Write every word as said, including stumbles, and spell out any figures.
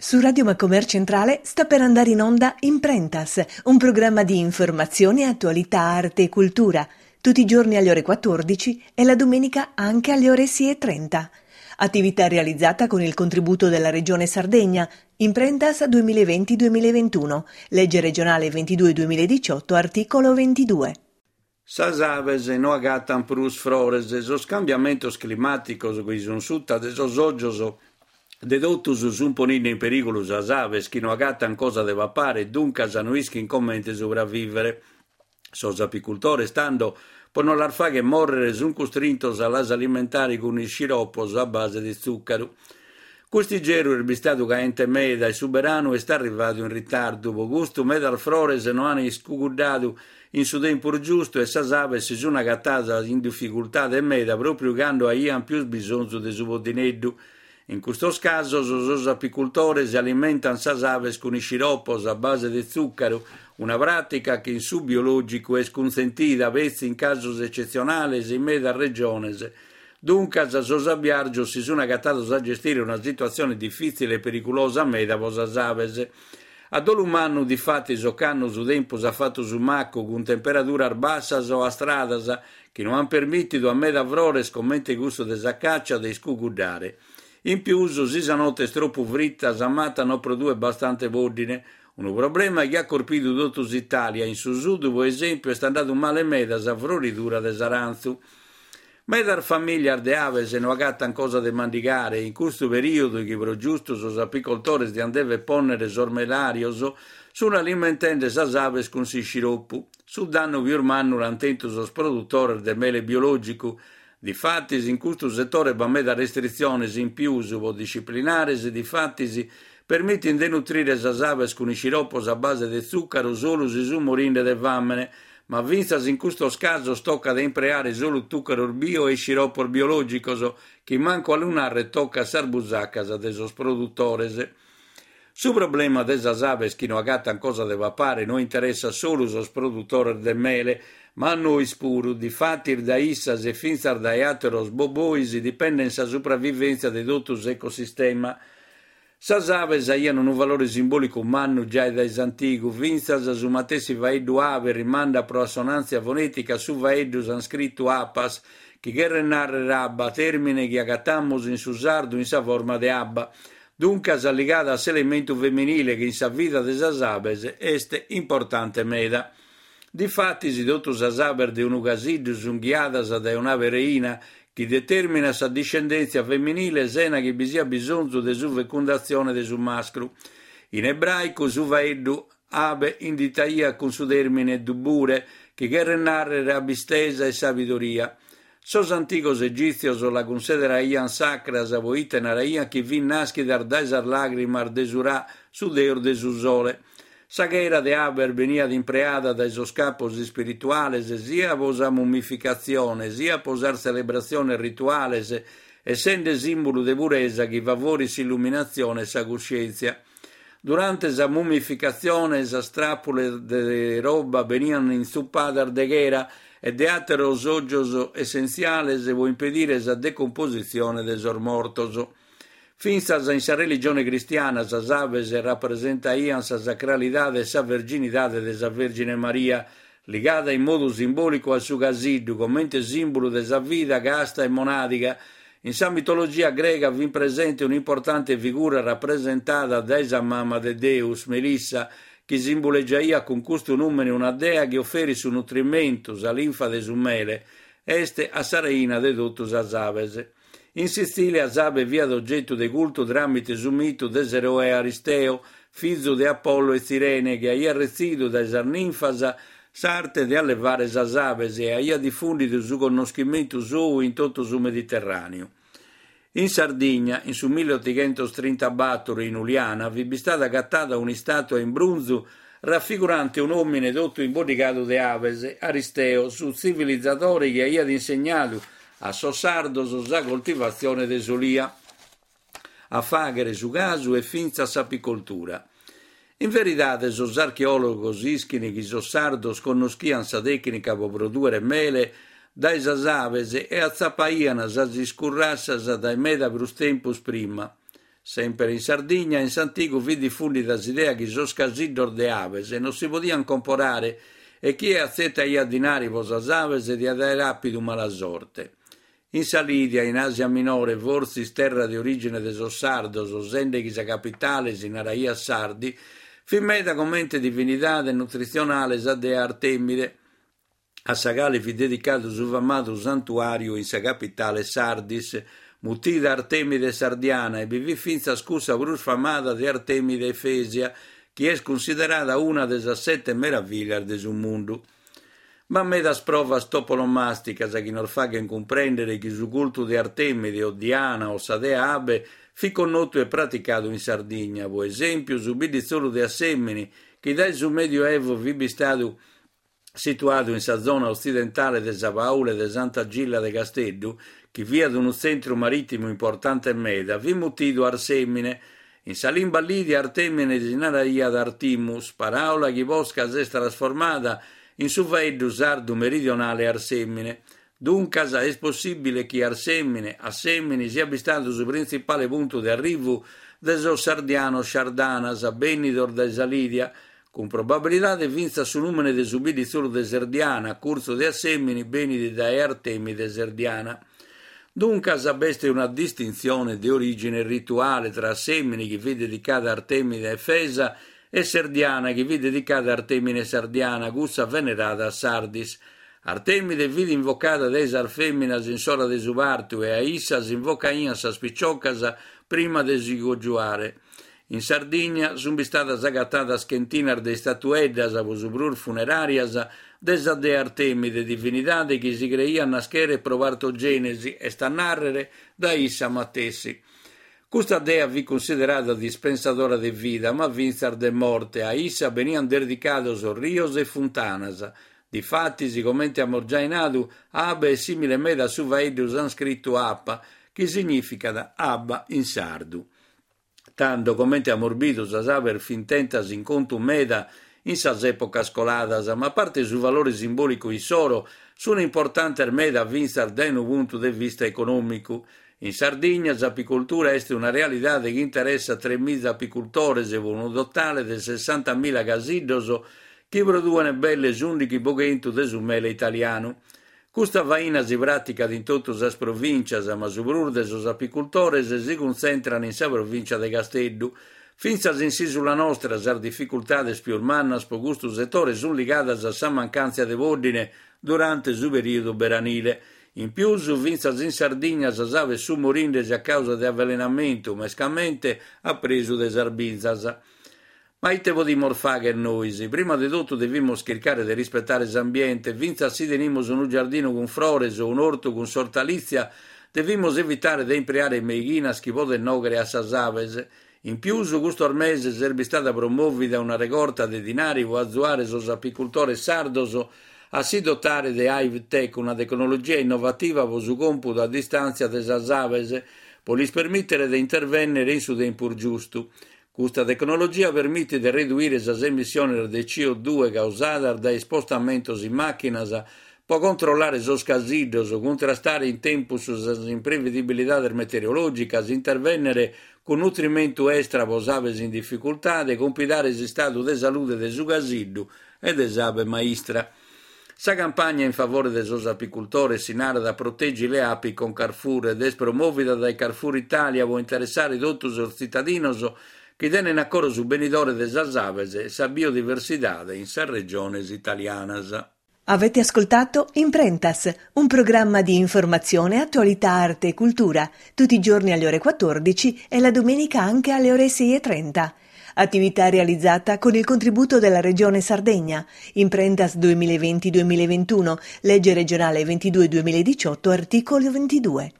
Su Radio Macomer Centrale sta per andare in onda Imprentas, un programma di informazione, attualità, arte e cultura, tutti i giorni alle ore quattordici e la domenica anche alle ore sei e trenta. Attività realizzata con il contributo della Regione Sardegna, Imprentas duemilaventi duemilaventuno, legge regionale ventidue duemiladiciotto, articolo ventidue. Sas aves no agatan prus frores, sos cambiamentos climàticos chi sun sutta de sos ògios de totus sun poninde in perìgulu sas aves chi no agatan cosa de papare e duncas no ischin comente supravìvere. Sos apicultores, tando, pro no las fàghere mòrrere, sun custrintos a las alimentare cun isciropos a base de tzùcaru. Cust'igerru est bistadu caente meda e su beranu est arrivadu in ritardu, pro custu medas frores no an iscuguddadu in su tempus giustu e sas aves si sun agatadas in dificultade meda pròpriu cando aian pius bisonzu de su poddineddu. In custos casos sos apicultores alimentan sas aves cun isciropos a base de tzùcaru, una pràtica chi in su biològicu est cunsentida petzi in casos ecetzionales in medas regiones. Duncas sos abiàrgios si sun agatados a gestire una situatzione difìtzile e periculosa meda pro sas aves. A dolu mannu, difatis, ocannu su tempus at fatu su macu cun temperaduras bassas o astradas chi no an permìtidu a meda frores comente cussu de sa càcia de iscuguddare. In pius, si sa note est tropu frita, sa mata no produet bastante pòddine, unu problema chi at corpidu totu s'Itàlia. In su sud, pro esèmpiu, est andadu male meda sa froridura de s'arantzu. Medas famìlias de aves no agatan cosa de mandigare e in custu perìodu chi pro giustu sos apicoltores diant dèvere pònnere sos melàrios, sun alimentende sas aves cun s'isciropu. Su dannu pius mannu l'ant tentu sos produtores de mele biològicu. Difatis, in custu setore b'at meda restritziones in pius pro disciplinares, difatis, permitin de nutrire sas aves cun isciropos a base de tzùcaru solu si sun morinde de fàmene, ma fintzas in custos casos tocat a impreare solu tùcaros bio e isciropos biològicos, chi mancu a lu narrer tocat sas busacas de sos produtores. Su problema de sas aves chi no agatan cosa de papare no interessat solu sos produtores de mele, ma a nois puru. Difatis dae issas e fintzas dae àteros bobois dipenden sa supravivèntzia de totu s'ecosistema. Sas aves aian unu valore simbòlicu mannu giai dae s'antigu, fintzas su matessi faeddu ave rimandat pro assonàntzia fonètica a su faeddu sanscritu apas, chi cheret nàrrere abba, tèrmine chi agatamus in su sardu in sa forma de abba, duncas ligada a s'elementu feminile chi in sa vida de sas aves est importante meda. Difatis, totu sas aves de unu casiddu sun ghiadas dae un'ave reina, chi determinat sa discendèntzia feminile sena chi bi siat bisonzu de su fecundatzione de su mascru. In ebràicu su faeddu abe inditaiat cun su tèrmine dubure, chi cheret nàrrere abbistesa e sabidoria. Sos antigos egìtzios la cunsideraiant sacras poite naraiant chi fint nàschidas dae sas làgrimas de su Ra, su deus de su sole. Sa chera de abes beniat impreada dae sos capos ispirituales sia pro sa mummificatzione, sia pro sas tzelebratziones rituales, essende sìmbulu de puresa chi favorit s'illuminatzione e sa cuscièntzia. Durante sa mummificatzione sas tràpulas de roba beniant intzupadas de chera e de àteros ògios essentziales pro impedire sa decompositzione de sos mortos. Fintzas in sa religione cristiana sas aves rapresentaiant sa sacralidade e sa virginidade de sa Vèrgine Maria, ligada in modu simbòlicu a su casiddu, comente sìmbulu de sa vida casta e monàdiga. In sa mitologia grega fit presente un'importante figura rapresentada dae sa mama de Deus, Melissa, chi simbulegiaiat cun custu nùmene una dea chi oferit su nutrimentu, sa linfa de su mele, est a sa reina de totu sas aves. In Sitzìlia s'abe fiat ogetu de cultu tràmite su mitu de s'eroe Aristeo, fizu de Apollo e Tzirene, chi aiat retzidu dae sas ninfas s'arte de allevare sas aves e aiat difùndidu su connoschimentu sou in totu su Mediterràneu. In Sardigna, in su milleotighentos-trintabatoro, in Uliana, fit bistada agatada un'istàtua in brunzu rafigurante un'òmine totu imboddigadu de aves, Aristeo, su tzivilizadore chi aiat insegnadu a sos sardos sa coltivatzione de s'olia, a fàghere su casu e fintzas s'apicoltura. In veridade sos archeòlogos ischin chi sos sardos connoschiant sa tècnica pro prodùere mele dae sas aves e atzapaiant sas iscurrassas dae meda prus tempus prima. Semper in Sardigna, in s'antigu fit difùndida s'idea chi sos casiddos de abes non si podiant comporare e chie atzetaiat dinari pro sas abes diat àere àpidu mala sorte. In sa Lidia, in Àsia Minore, fortzis terra de orìgine de sos sardos, sende chi sa capitale si naraiat Sardi, fit meda comente divinidade nutritzionale sa dea Artemide, a sa cale fit dedicadu su famadu santuàriu in sa capitale Sardis, mutida Artemide Sardiana, e bi fit fintzas cussa prus famada de Artemide Efesia, chi est cunsiderada una de sas sete meravìllias de su mundu. B'at medas provas toponomàsticas chi nos faghent cumprèndere chi su cultu de Artemide o Diana o sa dea Abe fit connotu e praticadu in Sardigna, pro esèmpiu su bidditzolu de Assèmini, chi dae su Medioevo fit bistadu situadu in sa zona otzidentale de sa Paule de Santa Gilla de Casteddu, chi fiat unu tzentru marìtimu importante meda, fit mutidu Arsemine. In sa limba lidia Artemine si naraiat Artimus, paràula chi posca s'est trasformada in su faeddu sardu meridionale Arsemine. Duncas est possìbile chi Arsemine, Assemini, siat bistadu su printzipale puntu de arrivu de sos sardianos shardanas bènnidos dae sa Lidia, cun probabilidade fintzas su nùmene de su bidditzolu de Serdiana, a curtzu de Assemini, benit dae Artemide Serdiana. Duncas b'est una distintzione de orìgine rituale tra Assemini, chi fit dedicada a Artemide Efesa, e Serdiana, chi fit dedicada a Artemide Sardiana, cussa venerada a Sardis. Artemide fit invocada dae sas fèminas in s'ora de su partu e a issa s'invocaiant sas piciocas prima de si cojuare. In Sardigna sunt bistadas agatadas chentinas de istatueddas, pro su prus funeràrias, de sa dea Artemide, divinidade chi si creiat nascheret pro partogènesi, est a nàrrere dae issa matessi. Custa dea fit cunsiderada dispensadora de vida, ma fintzas de morte. A issa beniant dedicados rios e funtanas. Difatis, comente amus giai nadu, abe est sìmile meda a su faeddu sanscritu apa, chi signìficat abba in sardu. Tando, comente amus bidu, sas abes fint tentas in contu meda in sas èpocas coladas, ma a parte su valore simbòlicu issoro, sunt importantes meda fintzas dae unu puntu de vista econòmicu. In Sardigna s'apicoltura est una realidade chi interessat tres miza apicultores pro unu totale de sessantamila casiddos chi produent belle s'ùndighi pro chentu de su mele italianu. Custa faina si pràticat in totu sas provìntzias, ma su prus de sos apicultores si cuntzentran in sa provìntzia de Casteddu. Fintzas in s'ìsula nostra sas dificultades pius mannas pro custu setore sunt ligadas a sa mancàntzia de pòddine durante su perìodu beranile. In pius, fintzas in Sardigna sas abes sunt morindesi a causa de avvelenamentu, mescamente a presu de sas binzas. Ma ite podimus fàghere nois? Prima de totu devimus chircare de rispetare s'ambiente, fintzas si tenimus unu giardinu cun frores o un'ortu cun s'ortalìtzia, devimus evitare de impreare meighinas chi podent nòghere a sas abes. In pius, custos meses est bistada promòvida una regorta de dinari pro azuare sos apicultores sardos a si dotare de HiveTech, una tecnologia innovativa pro su còmpudu a distàntzia de sas abes, pro lis permìtere de intervènnere in su tempus giustu. Custa tecnologia permitit de reduire sas emissiones de C O due causadas dae ispostamentos in màchinas pro controllare sos casiddos, cuntrastare in tempus sas imprevedibilidades meteorològicas, intervènnere cun nutrimentu extra pro abes in dificultade, compidare s'istadu de salude de su casiddu e de s'abe maistra. Sa campagna in favore de sos apicultores si narat Proteggi le api con Carrefour ed est promòvida dae Carrefour Italia pro interessare totu sos tzitadinos chi tenent a coro su benidore de sas abes e sa biodiversidade in sas regiones italianas. Avete ascoltato Imprentas, un programma di informazione, attualità, arte e cultura, tutti i giorni alle ore quattordici e la domenica anche alle ore sei e trenta. Attività realizzata con il contributo della Regione Sardegna. Imprentas duemilaventi duemilaventuno, legge regionale ventidue duemiladiciotto, articolo ventidue.